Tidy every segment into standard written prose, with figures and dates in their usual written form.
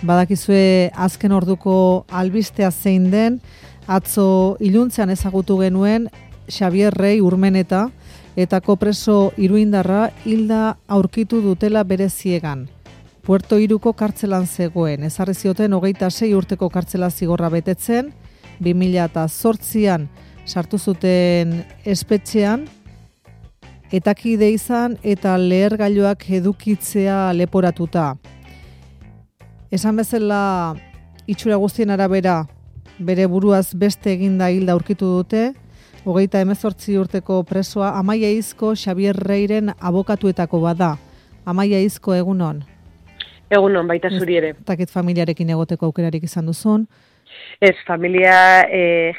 Badakizue azken orduko albistea zein den, atzo iluntzean ezagutu genuen Xabier Rei Urmeneta etako preso iruindarra hilda aurkitu dutela bere ziegan. Puerto Iruko kartzelan zegoen, ezarri zioten 26 urteko kartzela zigorra betetzen, 2008an sartu zuten espetxean, etakide izan eta lehergailuak edukitzea leporatuta. Esan bezala itxura guztien arabera bere buruaz beste eginda hilda aurkitu dute, 38 urteko presoa Amaia Izko Xabier Reiren abokatuetako bada. Amaia Izko, egunon? Egunon, baita zuri ere. Takit familiarekin egoteko aukerarik izan duzun? Ez, familia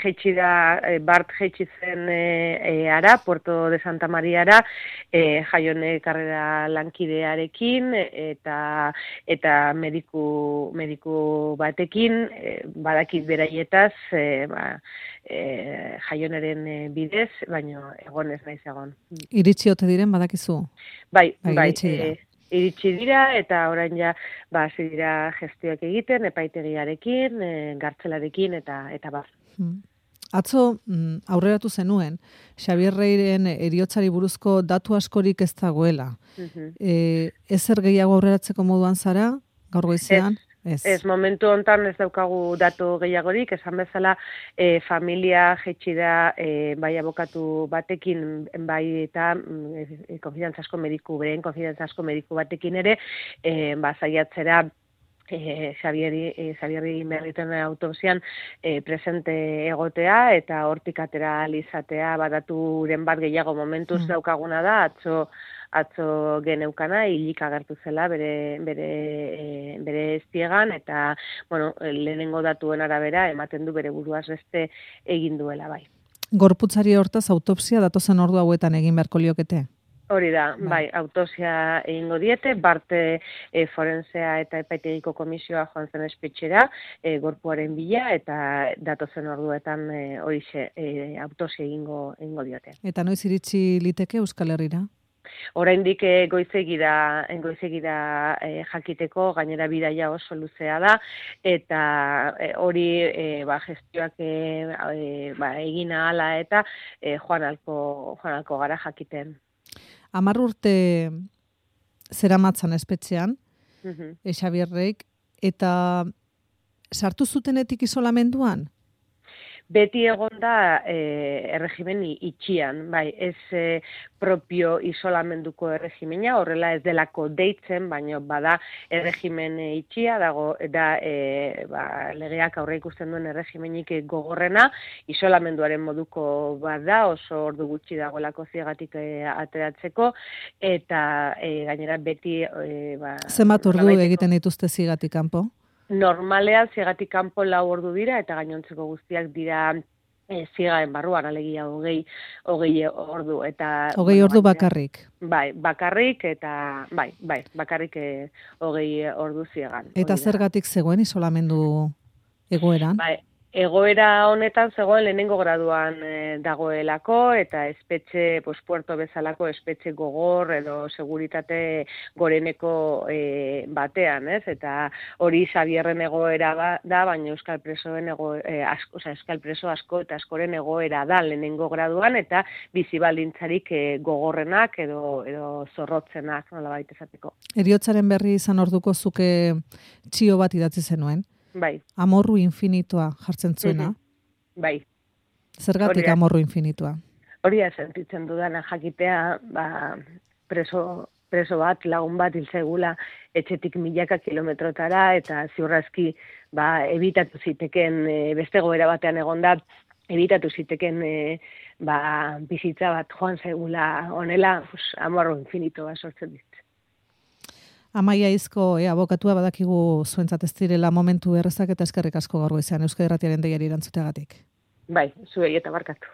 jeitsi da, Bart jeitsi zen ara, Puerto de Santa Mariara, Jaione karrera lankidearekin eta mediku batekin, badakit beraietaz, Jaioneren bidez, baina egon ez naiz egon. Iritsi ote diren badakizu? Bai. Iritsi dira eta orain ja hasi dira gestioak egiten epaitegiarekin, gartzelarekin eta bar. Atzo aurreratu zenuen Xabier Reiren heriotzari buruzko datu askorik ez dagoela. Ezer gehiago aurreratzeko moduan zara gaur goizean? Ez, momentu hontan ez daukagu datu gehiagorik, esan bezala familia jaitsi da bai abokatu batekin, bai eta konfidantzasko mediku batekin ere, saiatzera Xabieri merriten autopsian presente egotea eta hortik atera izatea badaturen bat gehiago momentuz daukaguna da, atzo geneukana hilik agertu zela bere eztiegan eta lehenengo datuen arabera ematen du bere buruaz beste egin duela bai. Gorputzari hortaz autopsia datozen ordu hauetan egin beharko liokete? Hori da, bai, autopsia egingo diete, Bart forensea eta epaitegiko komisioa joan zen espetxera, gorpuaren bila eta datozen orduetan horixe autopsia egingo diote. Eta noiz iritsi liteke Euskal Herrira? Oraindik goizegi da jakiteko, gainera bidaia oso luzea da eta hori gestioak egin ahala eta joan alko gara jakiten. 10 urte zeramatzan espetxean, Xabier Reik, eta sartu zutenetik isolamenduan? Beti egon da erregimen itxian, bai, ez propio isolamenduko erregimena, horrela ez delako deitzen, baina bada erregimen itxia, da legeak aurre ikusten duen erregimenik gogorrena, isolamenduaren moduko bada, oso ordu gutxi dagoelako ziegatik ateratzeko, eta gainera beti... Zenbat ordu egiten dituzte ziegatik kanpo? Normalean ziegatik kanpo 4 ordu dira eta gainontzeko guztiak dira ziegaren barruan, alegia 20 ordu. 20 ordu bakarrik? Bai, bakarrik eta bakarrik 20 ordu ziegan. Eta zergatik zegoen isolamendu egoeran? Bai, egoera honetan zegoen lehenengo graduan dagoelako eta espetxe, Puerto bezalako espetxe gogor edo seguritate goreneko batean, ez? Eta hori Xabierren egoera da, baina Euskal Presoen Euskal Preso asko eta askoren egoera da lehenengo graduan eta bizi baldintzarik gogorrenak edo zorrotzenak, nolabait esateko. Heriotzaren berri izan orduko zuke txio bat idatzi zenuen? Bai. Amorru infinitua jartzen zuena? Bai. Zergatik amorru infinitua? Hori sentitzen dudana jakitea, preso bat, lagun bat hilzegula etxetik milaka kilometrotara eta ziurrazki ebitatu ziteken beste goera batean egonda, ebitatu ziteken bizitza bat joan zegula honela, amorru infinitua sortzen dit. Amaia Izko, abokatua badakigu zuentzat ez direla momentu errezak eta eskerrik asko gaur goizean Euskadi Irratiaren deiari erantzuteagatik. Bai, zuei eta barkatu.